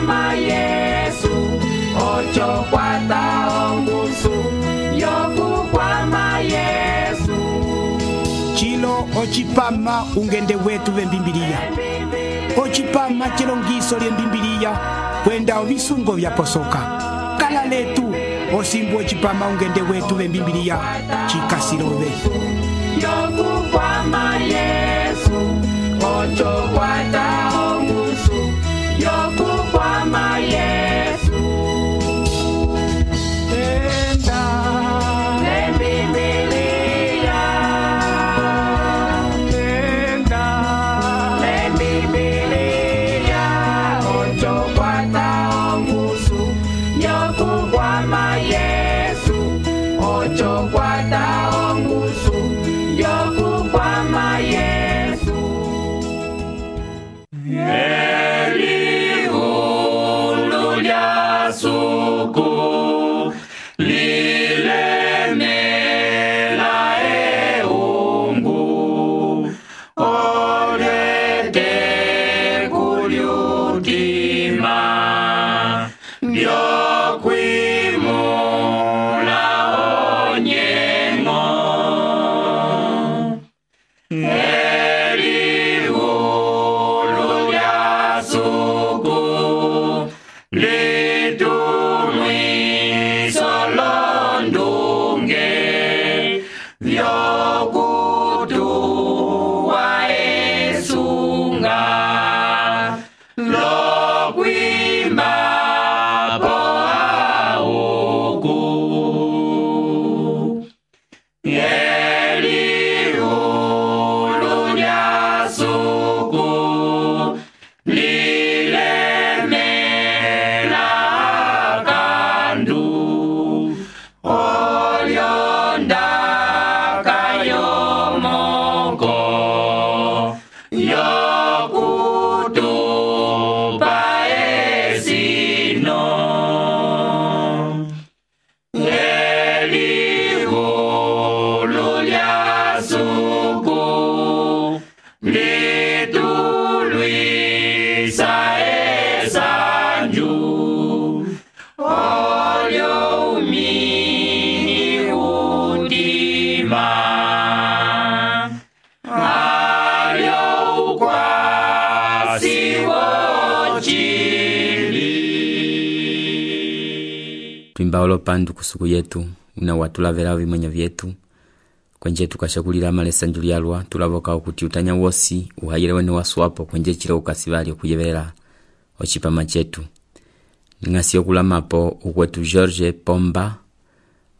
kwama Yesu ocho kwata ongusu yokukwama Yesu chilo ochipama ungende wetu vembimbiliya ochipama chilongiso lyembimbiliya kwenda ovisungo vyaposoka kala letu osimbu ochipama ungende wetu vembimbiliya chikasilove yokukwama Yesu ocho kwata ongusu yokukwama Yesu enda lembibiliya enda lembibiliya ocho kwata ongusu yokukwama Yesu ocho kwata ongusu yokukwama Yesu elihulu lya suku lilemela eungu olete kulyutima lyokwimula onyengo elihulu lya suku litumwiso londunge vyokutuwa esunga lokwimba po auku elihulu lya suku lilemela kandu olyondaka yomoko yokutupa esino elihulu lya suku litulwisa esanju olyo umini utima alyo ukwasi wochili twimba olopandu kusuku yetu una watulavela vimwenyo vyetu kwenje tukashakulila malesanju lyalwa tulavoka okuti utanya wosi uhayile wene waswapo kwenje chilo ukasivali okuyevelela ochipama chetu ngasi okulamapo ukwetu George Pomba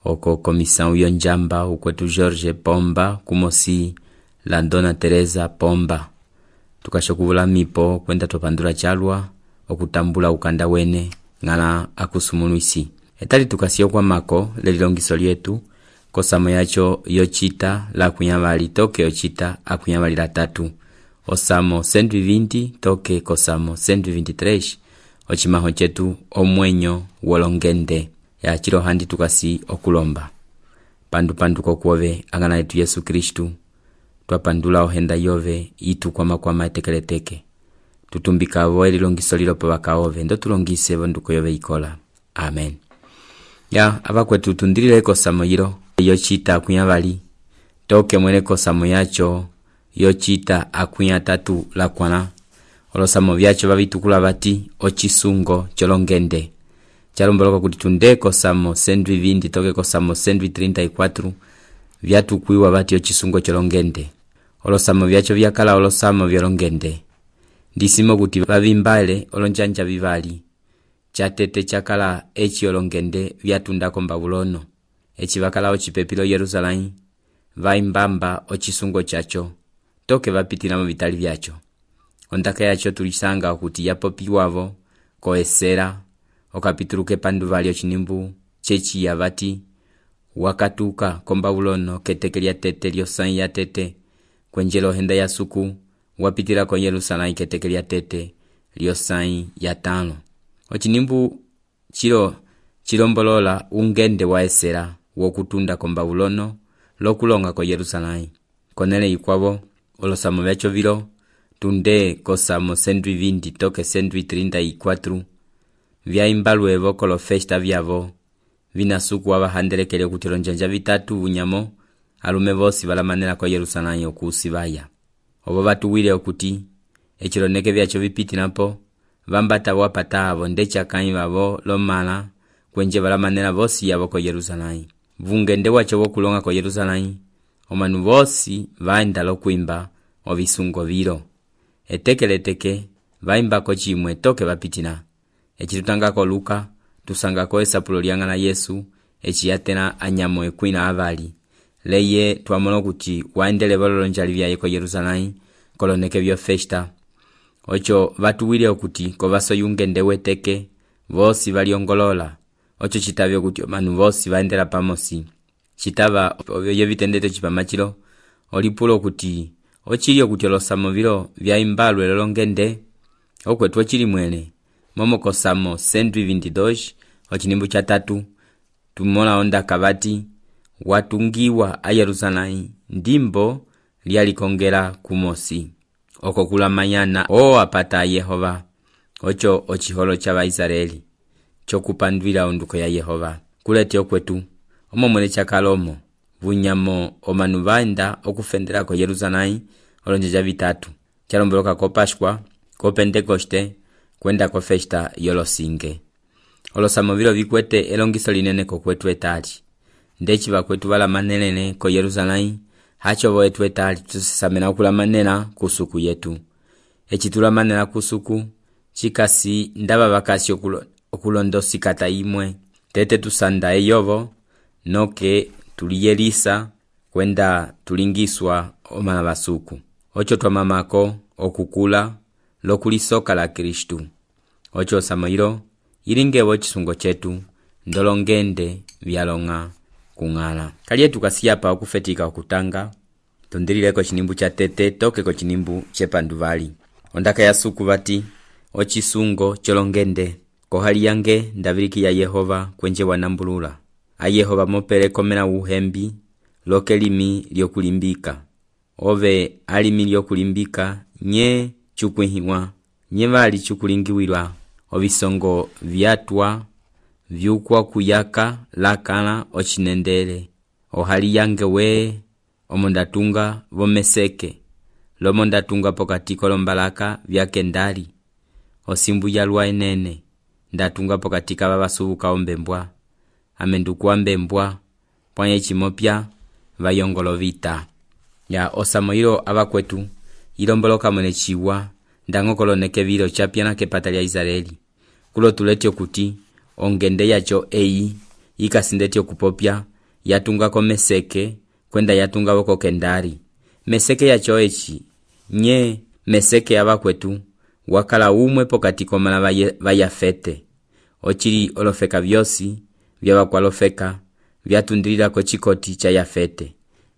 oko komisa uyo njamba ukwetu George Pomba kumosi Landona Teresa Pomba tukashokuvula mipo kwenda topandula chalwa okutambula ukanda wene ngala akusumuluisi etali tukasiyo kwa mako lelilongiso lyetu kosamo yacho yochita la kunyavali toke yochita akunyavali la tatu osamo 120 toke kosamo 123 ochimaho chetu omwenyo wolongende ya chilo handi tukasi okulomba pandu kokuove angana yetu Yesu Kristu twapandula ohenda yove itu kwa etekeleteke tutumbika vo elilongiso lilopo bakaove ndo tulongise vonduko yove ikola amen ya abakwetu tundilile kosamo yilo yochita akunyavali toke mwene kosamo yacho yochita akunya tatu la kwana olosamo vyacho babitukula bati ochisungo cholongende chalomboloka kuti tunde kosamo 120 toke kosamo 134 vyatukwiwa bati ochisungo cholongende olosamo vyacho vyakala olosamo vyolongende ndisimo kuti babimbale olonjanja bivali chatete chakala echi olongende vyatundako mbabulono echi bakala ochipepilo Yerusalemu vaimbamba ochisungo chacho toke vapitilamo vitali vyacho ondaka yacho tulisanga kuti yapopiwavo koesera okapituluke pandu vali ochinimbu chechi yavati wakatuka kombabulono keteke lya tete lyosai ya tete kwenjelo henda ya suku wapitila ko Yerusalemu keteke lya tete lyosai ya tano ochinimbu chilombolola ungende wa esera wokutunda kombabulono lokulonga ko Yerusalemu konele ikwavo olosamo vyacho vilo tunde kosamo 120 toke 134 vyaimba luevo kolo festa vyavo vinasuku avahandelekele kuti olonjanja vitatu unyamo alume vosi valamanela ko Yerusalemu okusivaya. Obo batuwile okuti echiloneke vyacho vipitinapo vambata wapata avo ndechakanyi vavo lomala kwenje valamanela vosi yavo ko Yerusalemu. Vungende wacho wokulonga ko Yerusalemu omanu vosi vaenda lokuimba ovisungo vilo. Etekeleteke vaimba ko chimwe toke vapitina. Echitutangako Luka tusangako esapulo lyang'ana Yesu echiyatena anyamo ekwina avali. Leye tuamono kuti waendele bolonjali vyaye ko Yerusalemu koloneke vyo festa. Ocho vatuwile okuti kovaso yungende weteke vosi valiongolola. Ocho chitavyo kuti omanu vosi vaendela pamosi. Chitava ovyo vitendete chipamachilo olipulo kuti ochilio kuti olosamo vilo vyaimbalwe lolongende okwetu ochili mwene. Momoko Samo 122 ochinimbu cha 3 tumola onda kavati watungiwa a Yerusalemu ndimbo lyalikongela kumosi. Oko kula mayana apata Yehova. Ocho ochiholo cha Waisraeli chokupandwila onduko ya Yehova. Kuleti okwetu omomwele chakalomo vunyamo omanu vaenda okufendela ko Yerusalemu olonjeja vitatu. Chalomboloka ko Pashkwa, ko Pentekoste, kwenda ko festa yolosinge. Olosamo vilo vikwete elongiso linene ko kwetu etali. Ndechi vakwetu vala manelene ko Yerusalemu hacho voetu etali tusisamena okula manela kusuku yetu. Echitula manela kusuku chikasi ndaba vakasi okulondo kata imwe. Tete tusanda eyovo noke tuliyelisa kwenda tulingiswa omala basuku. Ocho twamamako okukula lokulisoka la Kristu. Ocho samoiro ilingewo chisungo chetu ndolongende vyalonga kung'ala. Kaliye tukasiyapa okufetika okutanga tondelileko chinimbu cha tete toke ko chinimbu chepanduvali. Ondaka ya suku vati ochisungo cholongende kohali yange ndaviki ya Yehova kwenje wanambulula. A Yehova mopele komena uhembi lokelimi lyokulimbika. Ove alimi lyokulimbika nye chukwihiwa nye vali chukulingiwilwa. Ovisongo vyatwa vyukwa kuyaka lakala ochinendele. Ohali yange we omondatunga vomeseke lomondatunga pokatiko lombalaka vyakendali. Osimbu yalwa enene ndatunga pokatika vavasubuka ombembwa. Amendukuwa mbembwa pwanye chimopya vayongolo vita. Ya osamoiro abakwetu ilomboloka mwene chiwa ndangokoloneke vilo chapyana kepata lya Israeli. Kulo tuletyo kuti ongende yacho ikasindetyo kupopya yatunga ko meseke kwenda yatunga woko kendari. Meseke yacho echi nye meseke abakwetu wakala umwe pokati komala vayafete. Ochili olofeka vyosi vyabakwalofeka vyatundilila ko chikoti cha Yafete.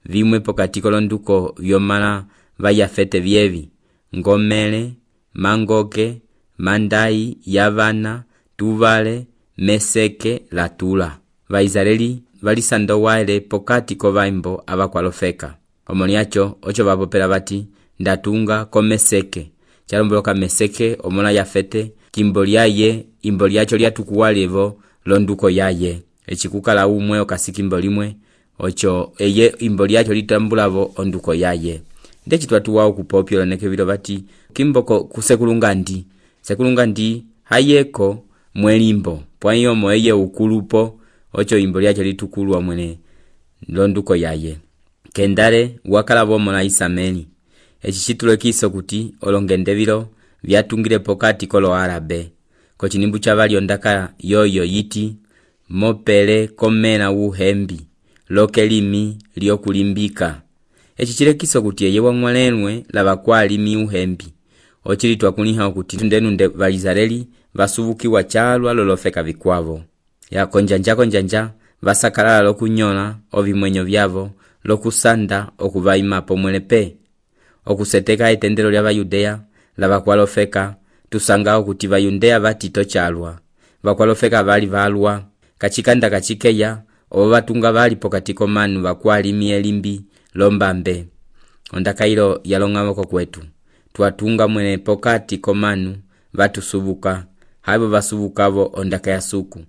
Vimwe pokati kolonduko vyomala vayafete vyevi ngomele, mangoke, mandai, yavana, tuvale, meseke, latula. Vaisraeli valisando waele pokati ko vaimbo abakwalofeka. Omoniacho ocho vapopela vati ndatunga ko meseke. Chalomboloka meseke omona Yafete kimboli yaye imboli yacho lyatukuwalevo londuko yaye. Echikukala umwe okasikimbolimwe ocho eye imboli yacho litambulavo onduko yaye. Ndechi twatuwao kupopyo loneke vilo vati kimboko kusekulungandi. Sekulungandi hayeko mwelimbo. Pwanyo moeye ukulupo ocho imboli yacho litukulwa mwene londuko yaye. Kendare wakala bomona Isameli. Echichitulo kiso kuti olongende vilo vyatungile pokati kolo Arabe. Ko chinimbu cha vali ondaka yoyo yiti mopele komena uhembi lokelimi lyokulimbika. Echichile kiso kuti eye wamwalenwe lavakwalimi uhembi. Ochili twakuniha kuti tundenunde Vaisraeli vasubukiwa chalwa lolofeka vikwavo. Ya konjanja vasakalala lokunyola ovimwenyo vyavo lokusanda okuvaima pomwelepe. Okuseteka etendelo lya Bayudea lavakwalofeka tusangao kuti Bayudea vatito chalwa. Vakwalofeka vali valwa kachikanda kachikeya ovatunga vali pokati komanu vakwalimi elimbi lombambe. Ondaka ilo yalongawoko kwetu. Tuatunga mwene pokati komanu vatusubuka haibo vasuvukavo ondaka ya suku.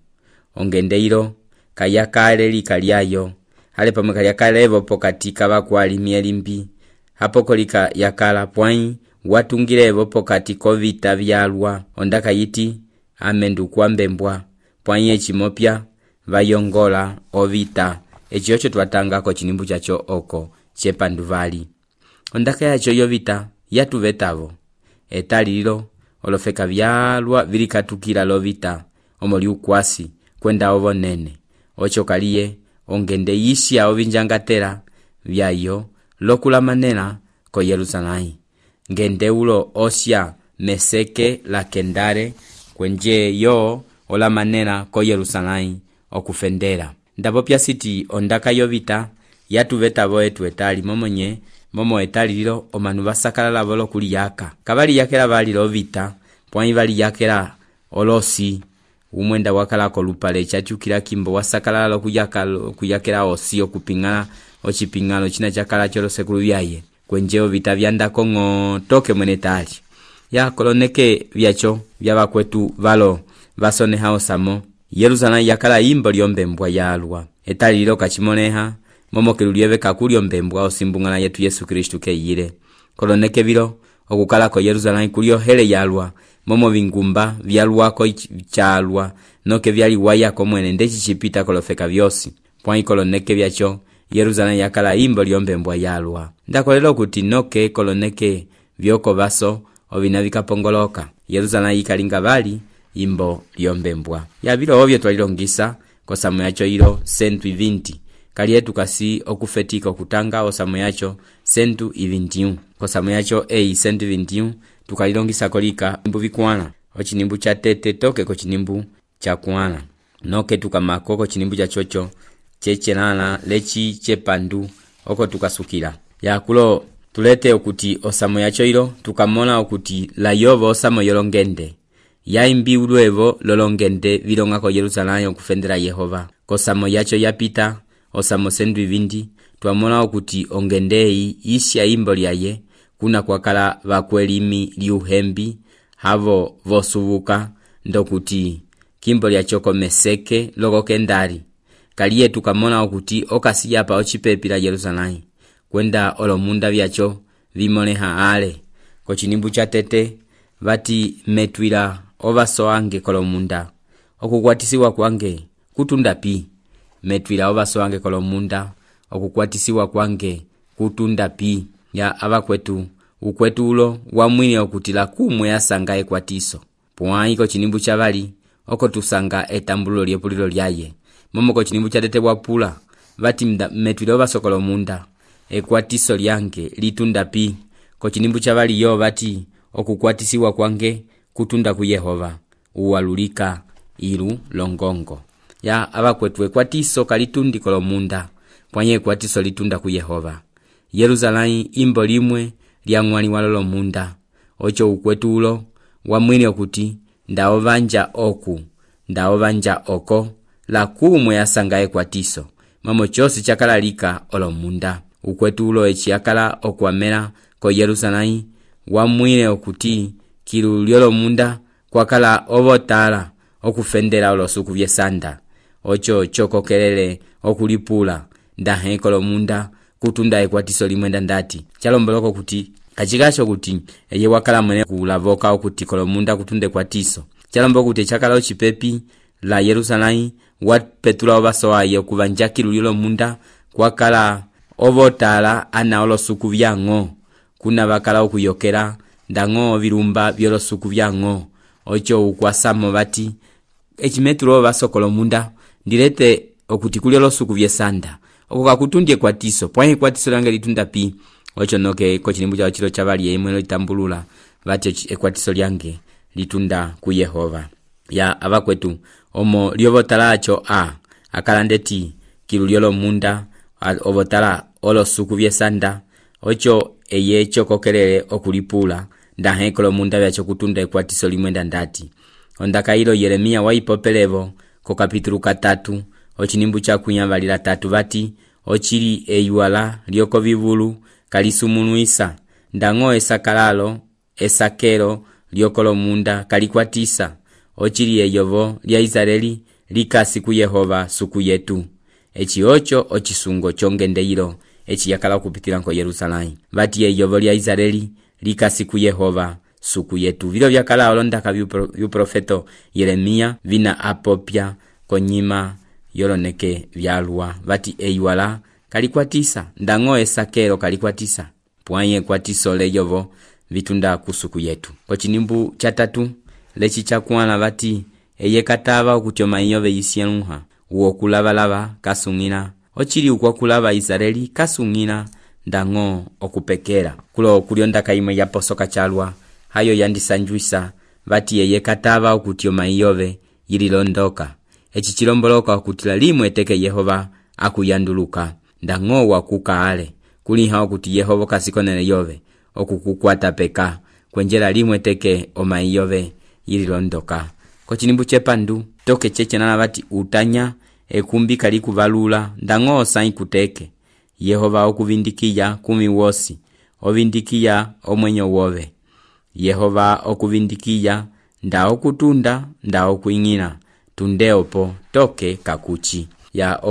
Ongendeiro kayakale likalyayo hale pamwe kalyakalevo pokati kavakwali mielimbi hapoko lika yakala pwai watungilevo pokati kovita vyalwa ondaka yiti amendu kwambembwa pwai echimopya vayongola ovita eci ocho twatangako chinimbu chacho oko chepanduvali. Ondaka yacho yovita yatuvetavo etalilo olofeka vyalwa vilikatukila lovita omoli ukwasi kwenda ovo nene ocho kaliye ongende yisya ovinjangatela vyayo lokulamanela ko Yerusalai. Ngende ulo osya meseke la kendare kwenje yo olamanela ko Yerusalai okufendela. Ndapopya siti ondaka yovita yatuvetavo etu etali momonye momo etali lilo omanu vasakalala volo kuliyaka kavali yakela vali lovita pwai vali yakela olosi umwenda wakalako lupale chatukila kimbo wasakalala kuyakela osi okupingala ochipingalo china chakala cholo sekulu vyaye kwenjeo vita vyandako toke mwenetali ya koloneke vyacho vyavakwetu valo vasoneha osamo Yerusalai yakala imbo lyombembwa yalwa etali lilo kachimoneha momo kelulieve kakuli ombembwa osimbungala yetu Yesu Kristu keyile koloneke vilo okukalako Yerusalai kulio hele yalwa momo vingumba vyalwako chalwa noke vyali wayako mwene ndechi chipita kolofeka vyosi pwai koloneke vyacho Yerusalai yakala imbo lyombembwa yalwa. Ndakolelo kuti noke koloneke vyoko vaso ovina vikapongoloka Yerusalai ikalinga vali imbo lyombembwa ya vilo ovyo twalilongisa kosamo yacho ilo 120 kali yetu kasi okufetika okutanga osamo yacho 121 kosamo yacho 121 tukalilongisa kolika imbu vikwana ochinimbu cha tete toke ko chinimbu cha kwana noke tukamako ko chinimbu cha chocho chechelala lechi chepandu oko tukasukila yakulo tulete okuti osamo yacho ilo tukamona okuti la yovo osamo yolongende yaimbi ulwevo lolongende vilongako Yerusalai okufendela Yehova kosamo yacho yapita osamo 120 twamona okuti ongendei isya imbo lyaye kuna kwakala vakwelimi liuhembi havo vosuvuka ndokuti kimbo lyachoko meseke logo kendari kaliye tukamona okuti okasiyapa ochipepila Yerusalai kwenda olomunda vyacho vimoneha ale ko chinimbu cha tete vati metwila ovasoange kolomunda okukwatisiwa kwange kutunda pi metwila ovasoange kolomunda okukwatisiwa kwange kutunda pi ya abakwetu ukwetu ulo wamwine okutila kumwe yasanga ekwatiso pwai ko chinimbu cha vali oko tusanga etambulo lyepulilo lyaye momo ko chinimbu cha tete wapula vati metwila ovasokolo munda ekwatiso lyange litunda pi ko chinimbu cha vali yo vati okukwatisiwa kwange kutunda ku Yehova uwalulika ilu longongo ya abakwetu ekwatiso kalitundi kolomunda pwanye ekwatiso litunda ku Yehova. Yerusalai imbo limwe lyangwani walolo munda ocho ukwetu ulo wamwini okuti ndaovanja oku ndaovanja oko la kumwe yasanga ekwatiso mamo chosi chakalalika olomunda ukwetu ulo echiakala okwamela ko Yerusalai wamwine okuti kilu lyolo munda kwakala ovotala okufendela olosuku vyesanda ocho chokokelele okulipula ndahe kolomunda kutunda ekwatiso limwenda ndati chalomboloko kuti kachikacho kuti eye wakala mwene kulavoka okuti kolomunda kutunde kwatiso chalombo kuti chakala ochipepi la Yerusalai wapetula ovasoaye okuvanja kilu lyolo munda kwakala ovotala ana olosuku vyango kuna vakala okuyokela ndango virumba byolosuku vyango ocho ukwasamo vati echimetulo vasokolo munda ndilete okuti kuli olosuku vyesanda okoka kutundye kwatiso pwanye kwatiso lange litunda pi ocho noke ko chinimbu cha chilo chavali yemwe litambulula vati ekwatiso lyange litunda ku Yehova ya abakwetu omo lyovotalacho akalandeti kilu lyolo munda ovotala olosuku vyesanda ocho eye chokokelele okulipula ndahe kolomunda vyacho kutunda ekwatiso limwenda ndati ondaka ilo Yeremia waipopelevo ko kapitulu 3 ochinimbu cha kunyambalira 3 vati ochili eyuala lyoko vivulu kalisumunwisa ndango esakalalo esakelo lyoko lomunda kalikwatisa ocili eyovo lya Israeli likasi ku Yehova suku yetu. Eci ocho ocisungo chongendeiro eci yakala kupitila nko Yerusalemu. Vati eyovo lya Israeli likasi ku Yehova suku yetu. Vilo vyakala olondaka vyuprofeto Yeremia vina apopya konyima yoloneke vyalwa. Vati eiwala kalikwatisa ndango esakelo kalikwatisa pwanye kwatiso leyovo vitunda kusuku yetu. Kochinimbu chatatu lechi chakuana vati eyekatava okutyoma iyove yisienuha uo kulava kasungina ochili ukwa kulava Israeli kasungina ndango okupekera kulo kulyondaka imwe yaposoka chalwa hayo yandisanjuisa vati eyekatava okutyoma iyove yililondoka eci chilomboloka okutila limwe teke Yehova akuyanduluka ndango wakukaale kuliha okuti Yehova kasikonele yove okukukwata peka kwenjela limwe teke oma iyove yililondoka. Kochinimbu chepandu toke chechenana vati utanya ekumbi kali kuvalula ndango osai kuteke Yehova okuvindikiya kumi wosi ovindikiya omwenyo wove Yehova okuvindikiya nda okutunda nda okuingina tundeopo toke kakuchi ya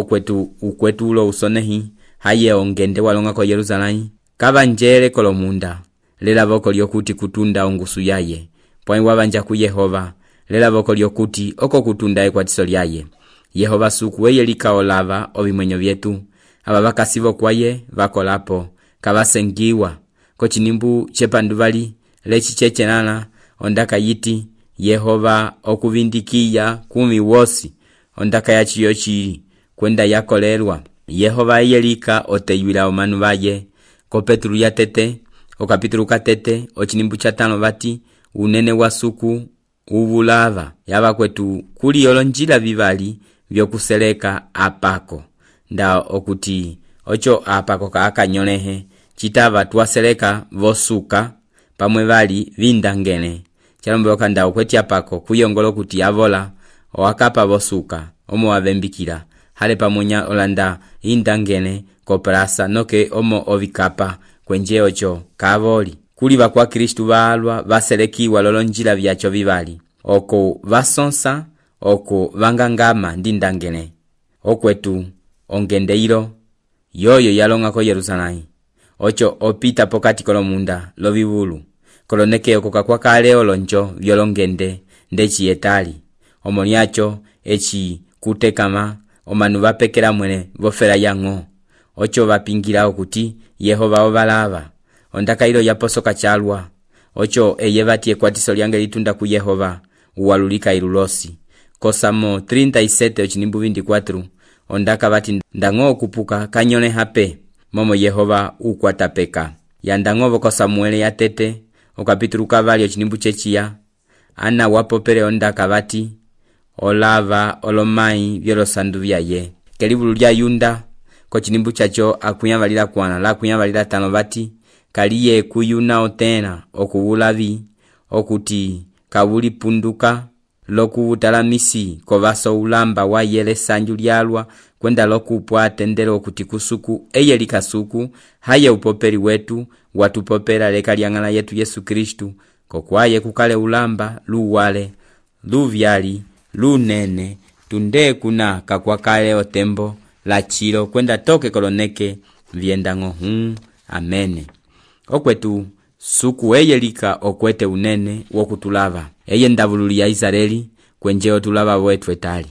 ukwetu ulo usonehi haye ongende walonga ko Yerusalemu kavanjele kolomunda lela voko lyokuti kutunda ongusu yaye pwani wavanja ku Yehova lela voko lyokuti oko kutunda ekwatiso lyaye Yehova suku weye likaolava ovimwenyo vyetu aba vakasivo kwaye vakolapo kavasengiwa. Kochinimbu chepanduvali lechi chechenana ondaka yiti Yehova okuvindikiya kumi wosi ondaka yachiyo chili kwenda yakolelwa Yehova yelika oteyuila omanu vaye. Ko Petru ya tete okapitulu katete ochinimbu chatano vati unene wa suku uvulava yaba kwetu kuli olonjila vivali vyokuseleka apako nda okuti ocho apako kakanyolehe chitava tuwaseleka vosuka pamwe vali vindangene chalombeloka nda okweti apako kuyongolo kuti avola owakapa vosuka omo wavembikila hale pamonya olanda indangene koprasa noke omo ovikapa kwenje ocho kavoli kuli bakwa Kristu balwa vaselekiwa lolonjila vyacho vivali oko vasonsa oko vangangama ndindangene okwetu ongendeiro yoyo yalonga ko Yerusalemu ocho opita pokati kolomunda lovivulu koloneke oko kakwa kale olonjo vyolongende ndechi yetali omoniacho echi kutekama omanu vapekela mwene vofela yango ocho vapingira okuti Yehova ovalava ondaka ilo yaposoka chalwa ocho eyevati ekwatiso lyange litunda ku Yehova uwalulika ilulosi. Kosamo 37 ochinimbu 24 ondaka vati ndango okupuka kanyone hape momo Yehova ukwata peka yandango ko Samuele ya tete okapitulu kavali ochinimbu chechiya ana wapopele ondaka vati olava olomai vyolosandu vyaye kelivulu lya Yunda kochinimbu chacho akuyavalila kwana la kuyavalila tano vati kaliye kuyuna otena okuvulavi okuti kavuli punduka lokuvutalamisi kovaso ulamba wa yele sanju lyalwa kwenda lokupwa tendelo okuti kusuku eyeli kasuku haye upoperi wetu watupopera leka lyangala yetu Yesu Kristu kokwaye kukale ulamba luwale luvyali lunene tunde kuna kakwakale otembo la chilo kwenda toke koloneke viendango amene okwetu suku eyelika okwete unene wokutulava eye ndavululi ya Israeli kwenje otulava wetu etali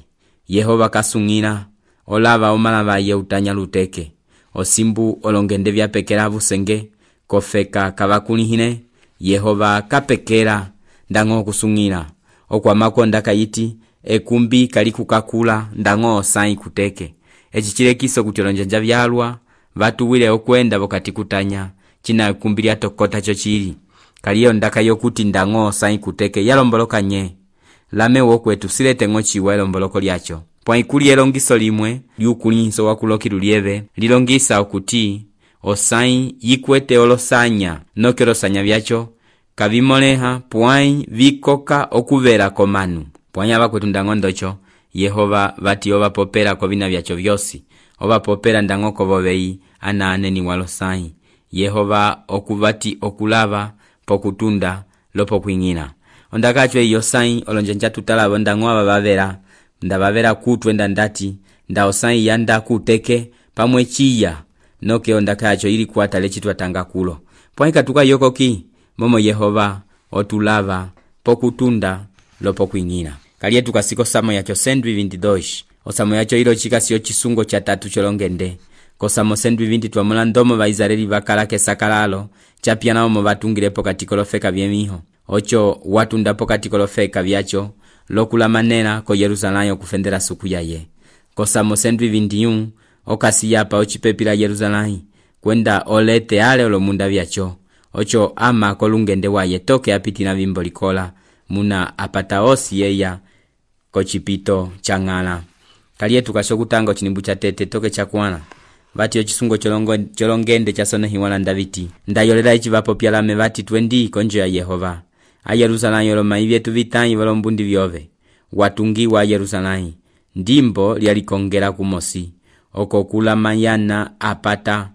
Yehova kasungina olava omalava ye utanya luteke osimbu olongende vyapekela vusenge kofeka kavakulihine Yehova kapekela ndango kusungina okwamako ndaka yiti ekumbi kalikukakula ndango osai kuteke echichilekiso kutyolonjanja vyalwa vatuwile okwenda vokati kutanya china ekumbi lya tokota chochili kaliyo ndaka yokuti ndango osai kuteke yalomboloka nye lame wokwetu silete ngochiwa elomboloko lyacho pwaikuli elongiso limwe lyukulinso wakulokilu lieve lilongisa okuti osai yikwete olosanya noke olosanya vyacho kavimoleha pwai vikoka okuvela komanu pwai abakwetu ndango ndocho Yehova vati ovapopela kovina vyacho vyosi ovapopela ndango kovovei ana aneni walosai Yehova okuvati okulava pokutunda lopo kuingina ondakacho iyo sai olonjanja tutalabo ndang'o abavera ndabavera kutwe ndandati nda osai yanda kuteke pamwe chiya noke ondakacho ili kuata lechitwa tanga kulo poika tukayokoki momo Yehova otulava pokutunda lopo kuingina kaliye tukasiko samo yacho 122 osamo yacho ilo chikasiyo chisungo cha tatu cholongende kosamo 120 twamula ndomo ba Israeli bakalake sakalalo chapia nao mo batungirepo katikolofeka byemiho ocho watundapo katikolofeka byacho lokula manera ko Yerusalemu kufendera suku yaye kosamo 121 okasiyapa ochipepila Yerusalemu kwenda olete ale olomunda byacho ocho ama kolungende waye toke apitina bimbo likola muna apata osi yeya kochipito changala kaliye tukashokutanga chinimbu cha tete toke chakwana vati ochisungo cholongende chasone hiwala ndaviti ndayolera ichivapo pyalame vati twendi konjo ya Yehova a Yerusalemu yoloma ibyetu vitanyi volombundi vyove watungiwa Yerusalemu ndimbo lyalikongera kumosi okokula mayana apata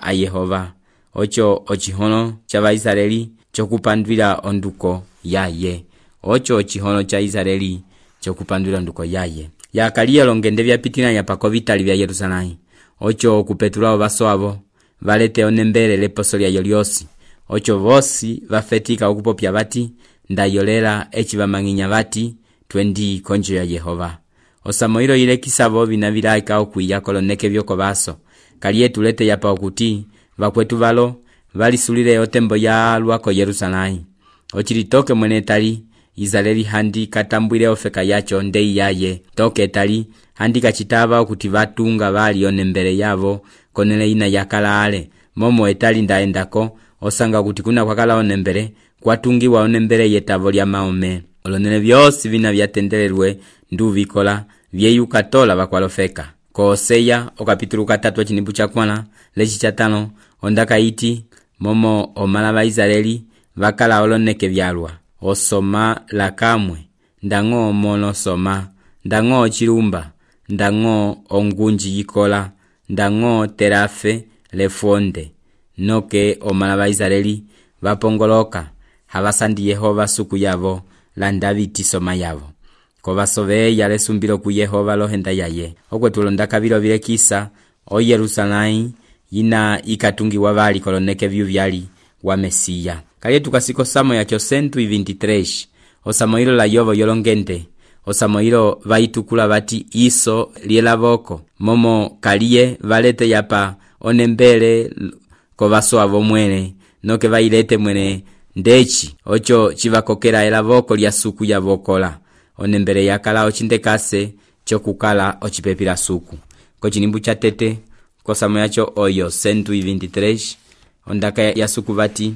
a Yehova ocho ochihono cha Vaisraeli chokupandwila onduko yaye ocho ochihono cha Israeli chokupandwila onduko yaye yakaliye longende vyapitina yapako vitali vya Yerusalemu ocho kupetula vaso avo valete onembele leposo lya yoliosi ocho vosi vafetika okupopya vati ndayolera echivamanginya vati twendi konjo ya Yehova osamoiro ile kisavo vinavilaika okuya koloneke vyoko vaso kaliye tulete yapa okuti vakwetu valo valisulile otembo ya lwako Yerusalemu ochilitoke mwene tali Israeli handi katambwile ofeka yacho ndei yaye toke tali handi kachitava okuti vatunga vali onembele yavo konele ina yakalale momo etali ndaendako osanga kuti kuna kwakala onembele kwatungiwa onembele yetavo lya maome olonene vyosi vina vyatendelelwe nduvikola vyeyukatola vakwalofeka ko Oseya okapitulu 3 chinimbu cha kwana lechi cha 5 ondaka iti momo omala ba Israeli vakala oloneke vyalwa osoma lakamwe ndang'o mono soma ndang'o chilumba ndang'o ongunji yikola ndang'o terafe lefonde noke omala ba Israeli vapongoloka havasandi Yehova suku yavo la Daviti soma yavo ko vasove yale sumbilo ku Yehova lohenda yaye okwetulo ndakabilo vilekisa o Yerusalemu yina ikatungiwa vali koloneke vyu vyali wa Mesiya kaliye tukasiko samo yacho 123 osamoilo la yovo yolongende osamoilo vaitukula vati iso lielavoko momo kaliye valete yapa onembele ko vaso avo mwene noke vailete mwene ndechi ocho chivakokera elavoko lya suku ya vokola onembele yakala ochindekase chokukala ochipepila suku ko chinimbu cha tete kosamo yacho oyo 123 ondaka ya suku vati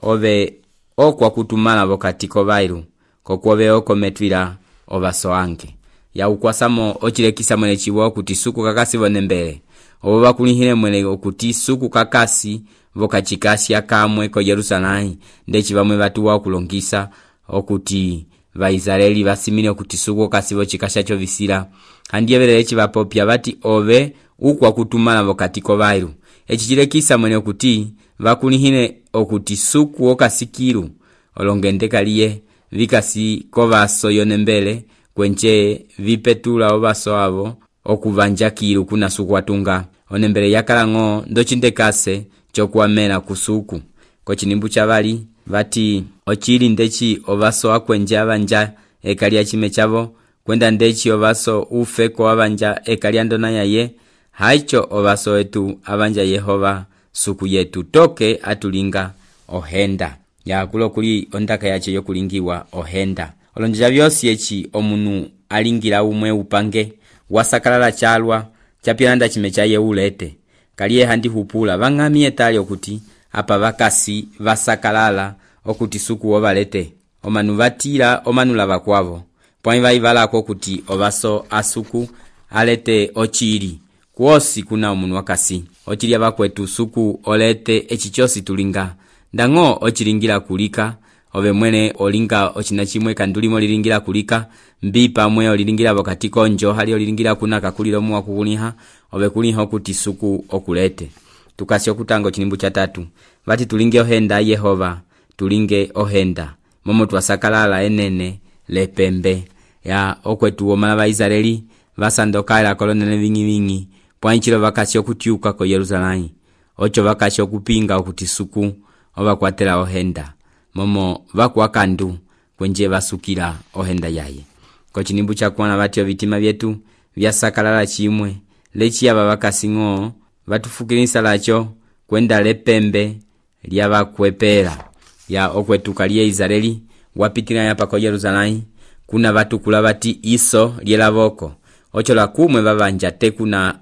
ove okwa kutumala vokatiko vairu kokuove okometwila ovaso ange ya ukwasamo ochilekisa mwene chiwo kuti suku kakasi vonembele ovo vakulihile mwene okuti suku kakasi vokachikasi akamwe ko Yerusalemu ndechi vamwe vatuwa okulongisa okuti Vaisraeli vasimile okuti suku kasi vochikashacho visila handiyevele echi vapopya vati ove ukwa kutumala vokatiko vairu echi chilekisa mwene okuti vakulihile okuti suku okasikiru olongende kaliye vikasi kovaso yonembele kwenche vipetula ovaso avo okuvanja kiru kuna suku watunga onembele yakalang'o ndochindekase chokuamela kusuku ko chinimbu cha vali vati ochili ndechi ovaso akwenje avanja ekalia chime chavo kwenda ndechi ovaso ufe ko avanja ekalia ndona yaye haicho ovaso etu avanja Yehova suku yetu toke atulinga ohenda ya kulo kuli ondaka yache yokulingiwa ohenda olonja vyosi echi omunu alingira umwe upange wasakalala chalwa chapilanda chime chaye ulete kaliye handi hupula vang'amie tali okuti apa vakasi vasakalala okuti suku ovalete omanu vatira omanula vakwavo pwani vaivalako okuti ovaso asuku alete ochili kuosi kuna omunu wakasi ochili avakwetu suku olete echichosi tulinga ndang'o ochilingira kulika ove mwene olinga ochina chimwe kandulimo lilingira kulika mbi pamwe olilingira vokatiko njo hali olilingira kuna kakulilo muwa kukuliha ove kuliha okuti suku okulete tukasi okutango chinimbu cha 3 vati tulinge ohenda Yehova tulinge ohenda momo twasakalala enene lepembe ya okwetu womala ba Israeli vasandoka la kolonene vingi pwanchilo vakasi okutiuka ko Yerusalemu ocho vakasi okupinga okuti suku ovakwatela ohenda momo vakwakandu kwenje vasukila ohenda yaye ko chinimbu cha kuona vatyo vitima vyetu vyasakalala chimwe lechi aba vakasingo vatufukilisa lacho kwenda lepembe lya vakwepela ya okwetuka lya Israeli wapitila yapa ko Yerusalemu kuna vatukula vati iso lyelavoko ocho la kumwe vavanja te kuna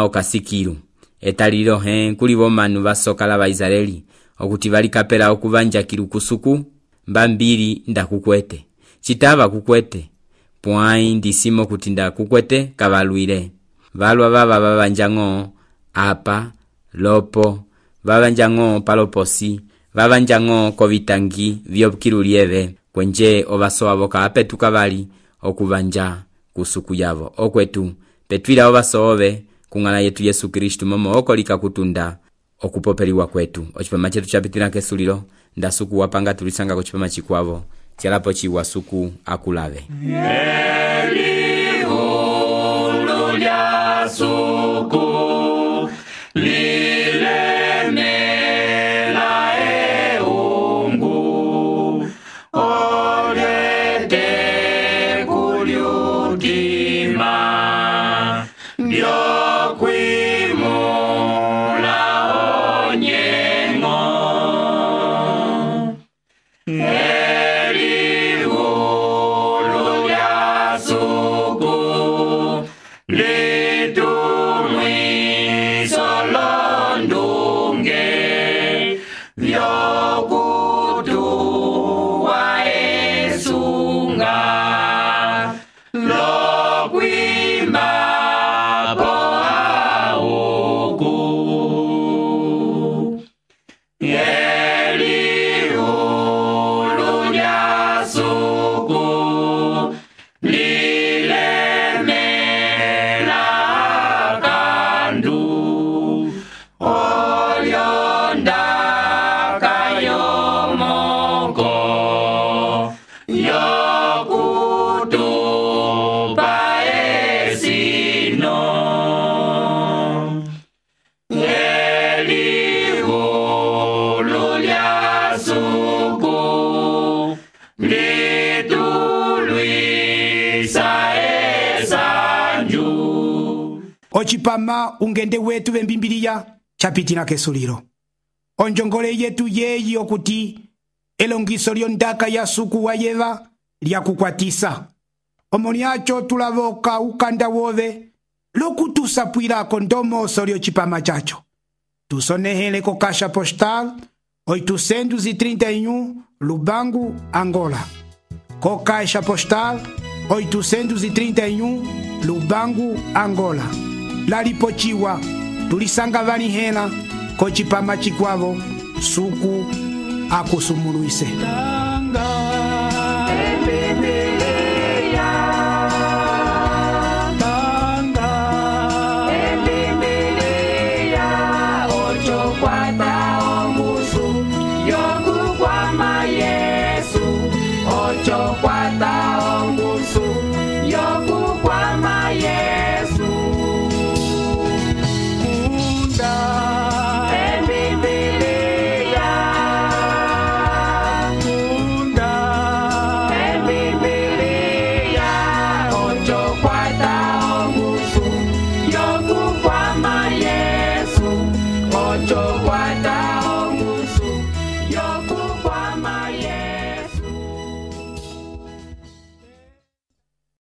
okasikilu etalilo kuli bomanu vasokala ba Israeli okuti valikapela okuvanja kilu kusuku mbambili ndakukwete chitava kukwete pwai ndisimo kuti ndakukwete kavalwile valwa baba vavanjango apa lopo vavanjango paloposi vavanjango kovitangi vyokilu lieve kwenje ovaso voka apetuka vali okuvanja kusuku yavo okwetu petwila ovaso ove kungala yetu Yesu Kristu momo okolika kutunda okupopeliwa kwetu ochipama chetu chapitila kesulilo ndasuku wapanga tulisanga ko chipama chikwavo chalapo chiwa suku akulave Elihu lya suku lilemela eungu olyete kulyutima byokwimula onyengo Elihu lya suku litumwiso londunge vyokutuwa esunga lokwima po auku Elihu lya suku lilemela kandu olyonda kayomoko yokutupa esino Elihu lya suku litulwisa esanju ochipama ungende wetu vembimbiliya chapitila kesulilo onjongole yetu yeyi okuti elongiso lyondaka ya suku wa yeva lyakukwatisa omo lyacho tulavoka ukanda wove lokutusapwilako ndomoso lyocipama chacho tusonehele ko Caixa Postal 831 Lubangu, Angola. Co Caixa Postal 831 Lubangu, Angola. Lalipochiwa tulisanga valihela ko chipama chikwavo suku akusumuluise. Yo